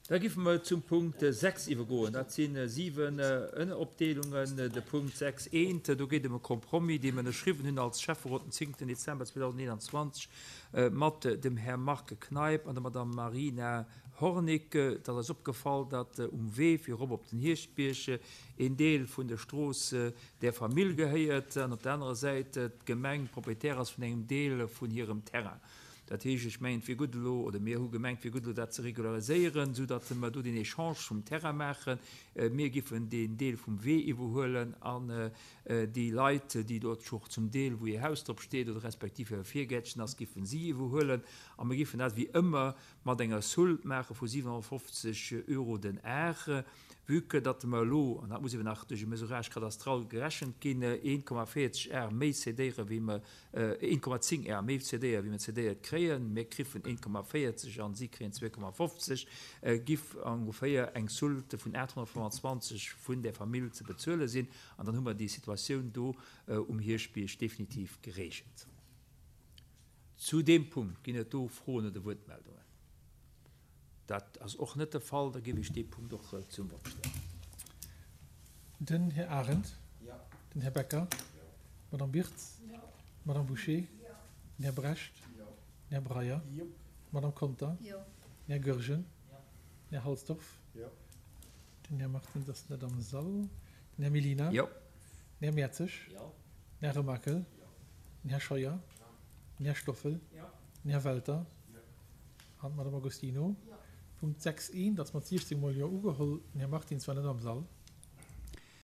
Da giffe mer zum Punkt 6 iwwergoen. Dat si 7 Ënneropdeelungen. De Punkt 6 eent, do geet ëm e Compromis, dee mer ënnerschriwwen hunn als Schäfferot den 10. Dezember 2021 mat dem Här Marc Kneip an der Madame Marina Hornick. Et ass eis opgefall, datt um Wee fir erop op den Hierschtbierg een Deel vun der Strooss där Famill gehéiert an op der anerer Säit d'Gemeng Proprietär ass vun engem Deel vun hirem Terrain. Dat heescht, ech mengen, et wier gutt elo, oder mir hu gemengt, et wier gutt elo dat ze regulariséieren, soudatt mer do deen Echange vum Terrain maachen. Mir giffen deen Deel vum Wee iwwerhuelen an déi Leit, déi dort scho zum Deel, wou hir Haus drop steet oder respektiv hire Virgäertchen ass, giffen si iwwerhuelen. A mir giffen dat wéi ëmmer mat enger Soulte maache vu 750 Euro den Ar, vue que datt mer elo, an dat muss eeben nach duerch e Mesurage cadastral gerechent ginn, 1,40 Ar méi cédéiere wéi mer 1,10 Ar méi cédéiere wéi mer cédéiert kréien, mir kriffen 1,40 an si kréien 2,50, giff ongeféier eng Soulte vun 825 vun där Famill ze bezuele sinn. An dann hu mer déi Situatioun do um Hierschtbierg definitiv geregelt. Zu deem Punkt ginn et do Froen oder Wuertmeldungen? Dat ass och net de Fall. Da géif ech dee Punkt och zum Vott stellen. Den Här Arendt. Den Här Becker. D'Madame Birtz. D'Madame Bouché. Den Här Brecht. Den Här Breyer. D'Madame Conter. Den Här Goergen. Den Här Halsdorf. Den Här Martins ass net am Sall. Den Här Mellina. Den Här Mertzig. Den Här Remakel. Den Här Scheuer. Den Här Stoffel. Den Här Welter. An d'Madame Agostino. Punkt 6 eent ass mat 16 mol Jo ugeholl. Den Här Martins war net am Sall.